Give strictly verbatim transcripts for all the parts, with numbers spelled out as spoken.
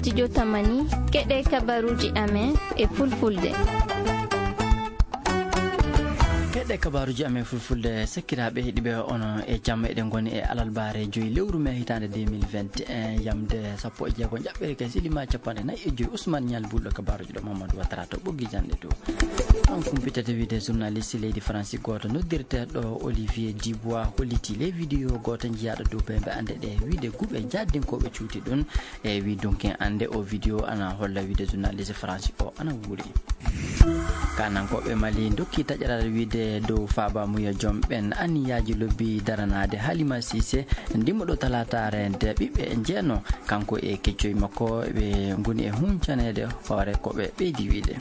Studio Tamani, keɗe kabaruji amen e fulfulde. Keɗe kabaruji amen fulfulde, sakiraaɓe heɗiɓe ono e jamma eɗen ngoni e alalbaare joyi lewru mai hitaande deux mille vingt et un, yamde sappo e jeego jaɓɓere kay silima capanɗe nayi e joyi. Ousmane Nial Bulɗo kabaruji ɗo Mamadou Ouattara to ɓoggi jannde to. On kumpitete wiide journaliste leydi Faransi gooto noddirteeɗo Olivier Dubois holliti ley vidéo gooto jiyaaɗo dow bembe annde ɗe wiide guɓe jaadinkoɓe cuuti ɗum. E wi dunkin annde o vidéo ana holla wiide journaliste Faransi o ana wuuri. Kanankoɓe Mali dokki taƴaral wiide dow faabamuya joom ɓen anniyaji lobbi daranaade Halima Cissé, ndimuɗo talatare nde ɓiɓɓe njeeno, kanko e keccoy makko ɓe ngoni e huncanede hoore ko ɓe ɓeydi wiide.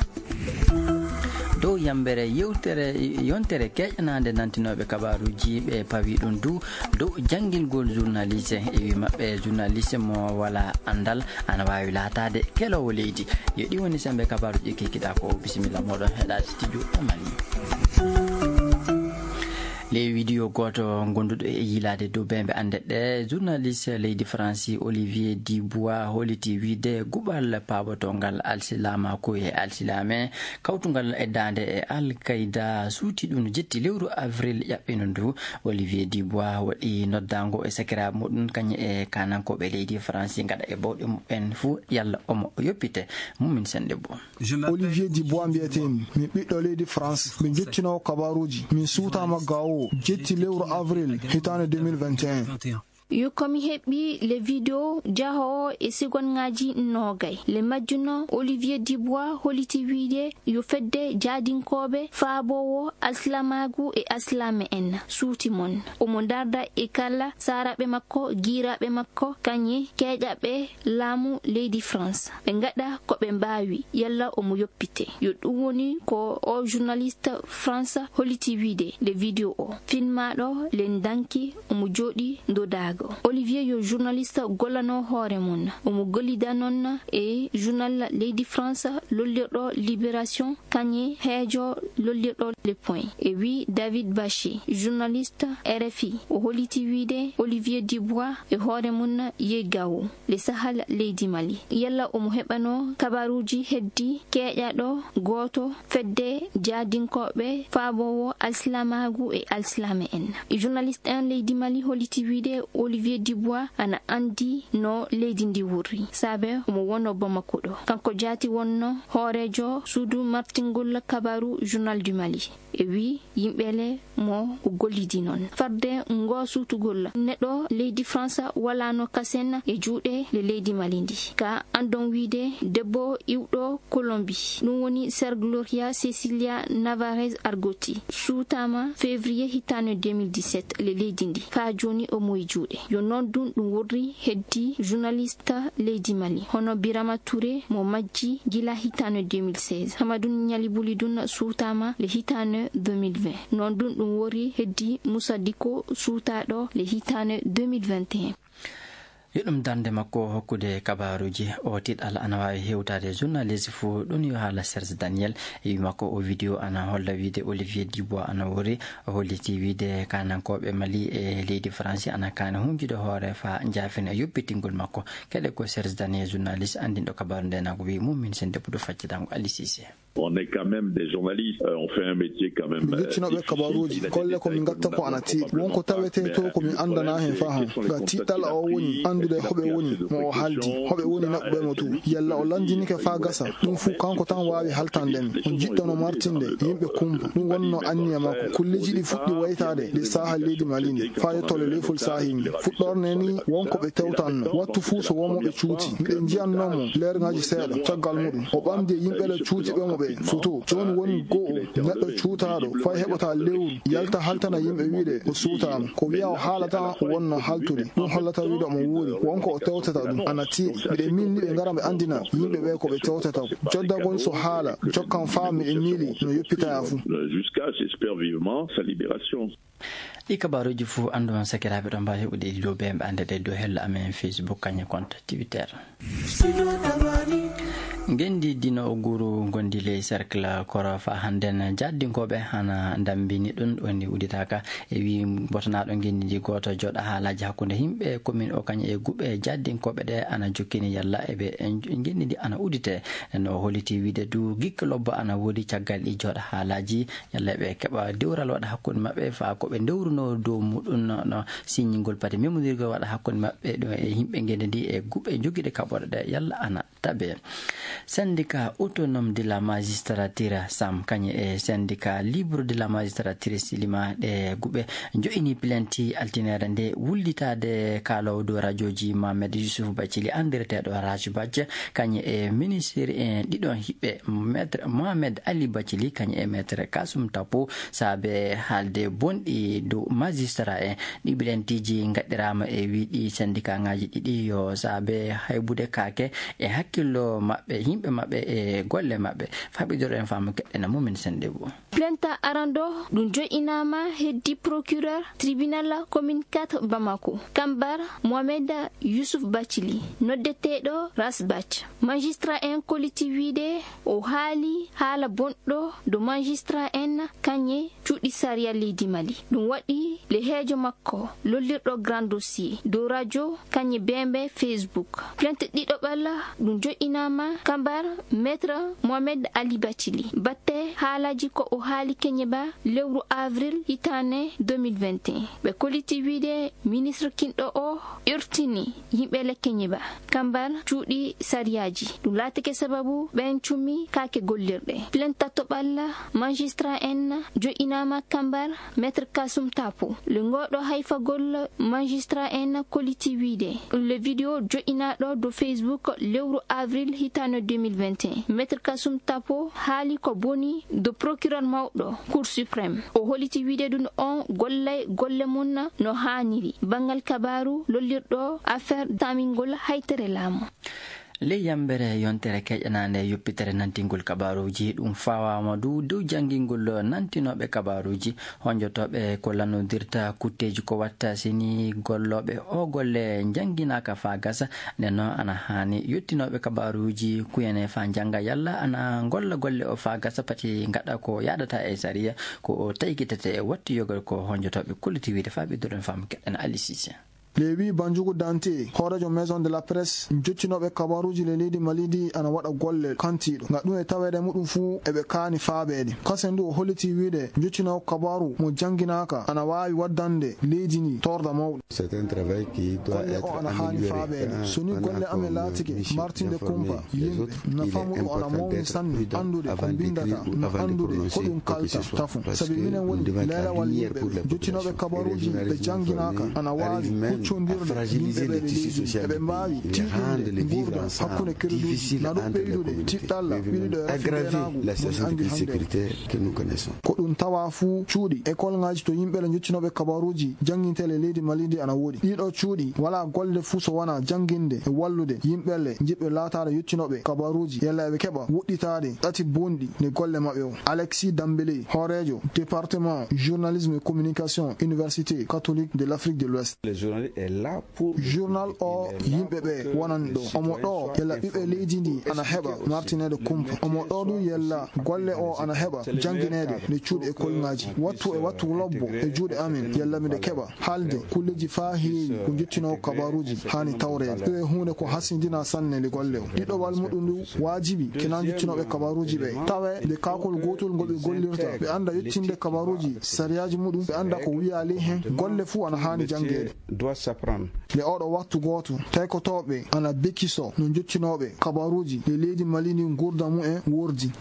Dow yambere yewtere, yontere keƴanande nantinoɓe kabaruji ɓe pawi ɗum du dow janngingol journaliste. E wi maɓɓe journaliste mo wala andal ana wawi laatade kelowo leydi. Yo ɗi woni sembe kabaruji kekkiɗa ko. Bisimilla moɗon heɗade studio Tamani. Ley vidéo gooto gonduɗo e yiilaade dow bembe annde ɗe, journaliste leydi Faransi Olivier Dubois holliti wiide guɓal paabotongal alsilaamaaku e alsilaame, kawtungal e daande e Al Qaeda, suuti ɗum jetti lewru avril ƴaɓɓino ndu. Olivier Dubois waɗi noddaango e sakiraaɓe muɗum, kañum e kaanankooɓe leydi Faransi, ngaɗa e bawɗe muɓɓen fuu yalla omo yoppite. Mumin Sennde Bo. Olivier Dubois mbiyetee-mi. Mi ɓiɗɗo leydi France. Mi jottinoowo kabaruuji. Min suutaama gaawoowo jetti lewru avril hitaande deux mille vingt et un. Yo ko mi heɓi le video jahoowo e segonngaji noogay. Le majjuno Olivier Dubois holliti wiide yo fedde jaadinkooɓe faaboowo alsilamaagu e alsilaame en suuti mon. Omo darda e kala saaraaɓe makko, giiraaɓe makko, kañe keeƴaɓe laamu leydi France. Ɓe ngaɗa ko ɓe mbaawi, yalla omo yoppite. Yo ɗum woni ko o journaliste France holliti wiide nde video o. Filmaaɗo le danki omo jooɗi ndodaago. Olivier yo journaliste gollano hoore mum. Omo gollida noon e journal leydi France lollirɗo Libération, kañe heejo lollirɗo Le Point. E wi David Baché, journaliste R F I, o holliti wiide Olivier Dubois e hoore mum yehi gawo le Sahel leydi Mali. Yalla omo heɓano kabaruuji heddi keeƴaɗo gooto fedde jaadinkooɓe faaboowo alsilamaagu e alsilaame en. Journaliste en leydi Mali holliti wiide Olivier Dubois ana anndi no leydi ndi wurri, saabe omo wono Bamako ɗo. Kanko jaati wonno hooreejo suudu martingol kabaru Journal du Mali. E wi yimɓe le mo o gollidi noon. Farde ngo suutugol neɗɗo leydi France walano kasen e juuɗe le leydi Mali ndi. Ka anndon wiide debbo iwɗo Colombie, ɗum woni Ser Gloria Cecilia Navarez Argoti, suutama février hitaande deux mille dix-sept le leydi ndi. Faa jooni omo e juuɗe. Yo noon ɗum ɗum wurri heddi journaliste leydi Mali, hono Birama Touré mo majji gila hitaande deux mille seize. Hamadou Niali Boulidou suutama le hitaande deux mille vingt. Noon ɗum ɗum wori heddi Moussa Dicko suutaaɗo le hitaande deux mille vingt et un. Yo ɗum darnde makko hokkude kabaruuji. O tiɗal ana waawi hewtaade journaliste fuu, ɗum yo haala Serge Daniel. E wi makko o video ana holla wiide Olivier Dubois ana wori. O holliti wiide kaanankooɓe Mali e leydi France ana kaani hunjude hoore faa njaafina yoppitingol makko. Keɗe ko Serge Daniel, journaliste anndinɗo kabaru nde, na ko wi mum min sen debbo ɗo faccitango Ali Cissé. On est quand même des journalistes, euh, on fait un métier quand même, mi euh, jettinoɓe difficile, kabaruuji, il a été golle ko min très gatta ko ana tiiɗi. Wonko tawetee to ko min anndana heen faham. Ga tiiɗal o woni anndude hoɓe woni, mo o haaldi, hoɓe woni naɓɓuɓe mo to. Yalla o lanndinike faa gasa, ɗum fuu kanko tan waawi haltande mi. O jiɗɗono martinde yimɓe kumpa. Ɗum wonno anniya makko. Kulleeji ɗi fuɗɗi waytaade nde saha leydi Mali ndi, faa yettoole leyfol saahi ndi. Fuɗɗorde ni wonko ɓe tewtanno. Wattu fuu so won mo ɓe cuuti. Miɗen njiyannoo mo leerŋaaji seeɗa. Caggal muɗum, o ɓamdi e yimɓe le cuutiiɓe mo ɓe foto. Jooni woni go'o neɗɗo cuutaaɗo, fay heɓata lewru, yalta haltana yimɓe wiide o suutaama. Ko wiya o haala tan wonno haltude. Ɗum hollata wiide omo wuuri. Wonko o tewtata ɗum ana tiiɗi. Miɗen miili ɓe ngara ɓe anndina yimɓe ɓe ko ɓe tewtata ko. Joddagol so haala, jokkan faa miɗen miili no yoppitaya fuu. Jusqu'à, j'espère vivement sa libération. Ɗi kabaruuji fuu anndu on sakiraaɓe ɗo mbaawi heɓude ɗi dow bembe annde ɗe dow hello amen Facebook kañe compte Twitter. Ngenndi dino o guru ngondi ley cercle koro fa hannden jaaddinkooɓe hana ndammbini ɗum woni uditaaka e wi botanaaɗo ngenndi ndi gooto jooɗa haalaaji hakkunde himɓe commune o kañum e guɓe jaaddinkooɓe ɗe ana jokkini yalla eɓe ngenndi ndi ana udite. No holiti wiide du gikke lobbo ana woodi caggal ɗi jooɗa haalaaji yalla eɓe keɓa dewral waɗa hakkunde maɓɓe fa ko ɓe ndewruno dow muɗum no siññingol pati memondirgol waɗa hakkunde maɓɓe ɗo e yimɓe ngenndi ndi e guɓe jogiiɗe kaɓorɗe ɗe yalla ana tabe. Syndicat autonome de la magistrature sam kañe e syndicat libre de la magistrature silima ɗe guɓe jo'ini plainte altinere nde wullitade kaalowo dow radioji Mohamed Yusuf Bacili andireteɗo Raj Bac kañe e ministre en ɗiɗon hiɓɓe maître Mohamed Ali Bacili kañe e maître Kasum Tapo saabe haalde bonɗi dow magistrat en. Ɗi plainteji gaɗɗirama e wiɗi syndicat ngaji ɗiɗi yo saabe haybude kaake e hakkillo maɓɓe yimɓe maɓɓe e golle maɓɓe. Faɓidoro en faamu keɗɗena mumin sende bo. Plainte aranɗo ɗum jo'inaama heddi procureur tribunal commune quatre Bamako kambar Mohamed Yusuf Bacili noddeteeɗo Rasbach. Magistrat en koliti wiide o haali haala bonɗo do magistrat en kañe cuuɗi sariya leydi Mali. Ɗum waɗi le heejo makko lollirɗo grand dossier dow radio kañe bembe Facebook. Plainte ɗiɗo ɓalla ɗum jo'inaama kambar maître Mohamed Ali Bacili batte haalaji ko o haali keñeba lewru avril hitane deux mille vingt et un. Ɓe koliti wiide ministre kinɗo o irtini yimɓe le keñeba kambar cuuɗi sariyaji. Ɗum laatike sababu ɓen cummi kaake gollirɗe. Plainte to ɓalla magistrat en jo'inaama kambar maître Kasum Tapo. Le ngoɗo hayfagol magistrat en koliti wiide le vidéo jo'inaɗo do Facebook lewru avril hitano deux mille vingt et un. Maître Kasum Tapo haali ko boni do procureur mawɗo Cour suprême. O holiti wiide ɗum on gollay golle mum no haaniri. Banngal kabaaru lollirɗo affaire tamingol haytere laamu. Ley yambere yontere keƴanaande yoppitere nantingol kabaaruuji, ɗum fawaama du dow janngingol nantinooɓe kabaaruuji, honjotooɓe ko lannodirta kutteeji ko watta sini gollooɓe o golle njannginaaka faa gasa. Nden noon ana haani yottinooɓe kabaaruuji kuyane faa njannga yalla ana ngolla golle o faa gasa pati ngaɗa ko yaadata e sariya ko o taykitete e wattu yogal ko honjotooɓe kolliti wiide faa ɓe doron faamu keɗen Ali Sise. Lewi Banjugu Dante, hooreejo Maison de la Presse, jottinooɓe kabaaruuji le leydi Mali ndi ana waɗa golle kantiiɗo. Nga ɗum e taweede muɗum fuu eɓe kaani faabeede. Kasen du o holliti wiide jottinoowo kabaaru mo jannginaaka ana waawi waddande leydi ndi torda mawɗo. C'est un travail qui doit être amélioré. Golle o ana haani faabeede. So ni golle amen laatike martinde kumpa yimɓe, na famuɗo ana mawni sanne anndude ko mbindata, na anndude ko ɗum kalta tafo. Sabi minen woni leelawal yimɓe ɓe. Jottinooɓe kabaaruuji ɓe jannginaaka ana waawi huccondirde yimɓe ɓe leydi. Eɓe mbaawi tiiɗinde nguurndam hakkunde kereduuji, na ɗum ɓeydude tiɗɗalla ɓiɗuɗo e rafiɓeenaagu woni anndi hannde. Ko ɗum tawa fuu cuuɗi e kolŋaaji to yimɓe le jottinooɓe kabaaruuji janngintee le leydi Mali ndi ana woodi. Ɗiɗo cuuɗi walaa golle fuu so wanaa jannginde e wallude yimɓe le njiɗɓe laataade yottinooɓe kabaaruuji yalla eɓe keɓa woɗɗitaade ɗati bonɗi nde golle maɓɓe o. Alexis Dambélé, hooreejo département journalisme et communication Université catholique de l'Afrique de l'Ouest. Journal o yimɓe ɓe wonani ɗo. Omo ɗo yalla ɓiɓɓe leydi ndi ana heɓa martineede kumpa. Omo ɗo du yalla golle o ana heɓa janngineede nde cuuɗi e kolŋaaji. Wattu e wattu lobbo e juuɗe amen yalla miɗo keɓa haalde kulleeji faa heewi ko jottinoo kabaaruuji haani tawreede. Ɗum e huunde ko hasindina sanne nde golle o. Ɗiɗowal muɗum ndu waajibi kena jottinooɓe kabaaruuji ɓe. Tawe nde kaakol gootol ngol ɓe gollirta. Ɓe annda yettinde kabaaruuji sariyaaji muɗum. Ɓe annda ko wiyaa ley hen. Golle fuu ana haani janngeede. Nde oɗo wattu gooto, taykotooɓe ana bekiso no jottinooɓe kabaaruuji le leydi Mali ndi nguurndam mumen wordi.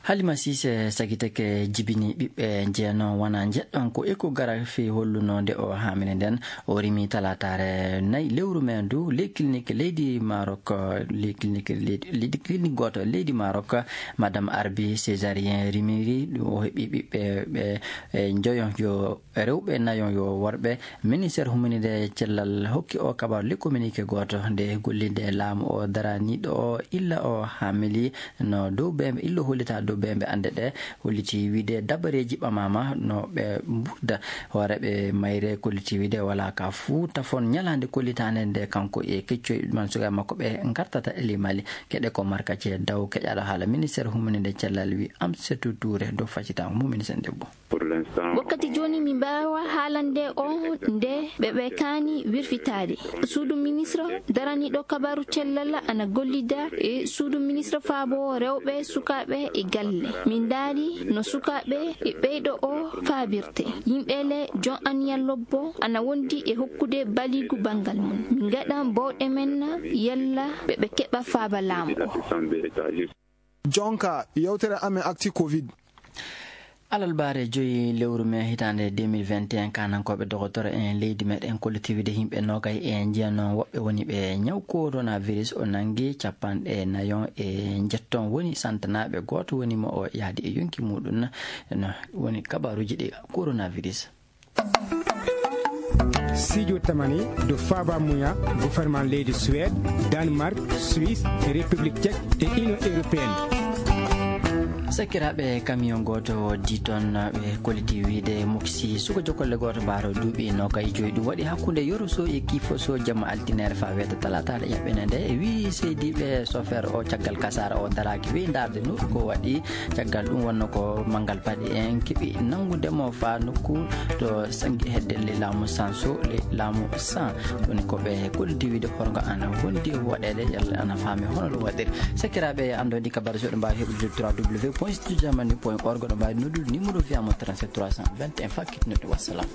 Halima Sise sagitake jibini ɓiɓɓe jeeno wona jeɗɗon ko échographie holluno nde o haamini nden. O rimi talaataare nayi lewru men du ley clinique leydi Maroc, ley clinique leydi, leydi clinique gooto leydi Maroc. Madame Arbi césarien rimiri ɗum o heɓi ɓiɓɓe ɓe, e, njoyon yo rewɓe nayon yo worɓe. Ministére huminide cellal hokki o kabaru le communiqué gooto nde gollinde laamu o daraniiɗo o illa o haamili no dow bembe illo hollita dow Ɓe mbe annde ɗe holliti wiide dabareeji ɓamaama no ɓe mburda. Hooreeɓe mayre kolliti wiide walaa ka fuu tafon ñalaande kollitaande nde kanko e keccoy man sukaaɓe makko ɓe ngartata e ley Mali. Keɗe ko Marka Cee Daw keƴaaɗo haala ministeer humaninde cellal wi Amsetu Tuure dow facitaango mum ministeer debbo. Wakkati jooni mi mbaawa haalande on nde ɓe ɓe kaani wirfitaade. Suudu ministre daraniiɗo kabaru cellal ana gollida e suudu ministre faabo rewɓe, sukaaɓe e galle. Min ndaari no sukaaɓe e ɓeyɗo o faabirte. Yimɓe le jon anniya lobbo ana wondi e hokkude baliigu banngal mum. Min ngaɗan bawɗe men yalla ɓe ɓe keɓa faaba laamu o. Jonka yewtere amen acti covid. Alalbaare joyi lewru mee hitaande deux mille vingt et un, kanankooɓe dogotoro en leydi meɗen kolliti wiide yimɓe noogay e njeeno woɓɓe woni ɓe ñaw coronavirus o nangi, capanɗe nayon e njetton woni santanaaɓe, gooto woni mo o yaadi e yonki muɗum. No woni kabaruuji ɗi coronavirus. Sijo tamani do faba muya gouvernement leydi Suède, Danemark, Suisse, République Tchèque et Union Européenne. Sakiraaɓe, camion gooto diton ɓe kolliti wiide moksi suka jokolle gooto mbaaro duuɓi noogay joyi. Ɗum waɗi hakkunde yoro so e kiifo so jamma altinere faa weeta talaataare ƴaɓɓene nde. E wii seydiiɓe sofeer o caggal kasaara o daraaki wii ndaarde nuru ko waɗi. Caggal ɗum wonno ko manngal paɗi en keɓi nanngude mo faa nokku to sangi hedde le laamu san so le laamu san. Woni ko ɓe kolliti wiide horgo ana wondi waɗeede yalla ana faami hono ɗum waɗiri. Sakiraaɓe, anndo ndi kabaru so ɗo mbaawi heɓude trois w point studio jamani point org, ɗo mbaawi noddude numéro fiyamo trente-sept trois cent vingt et un fakkit noddu. Wassalam.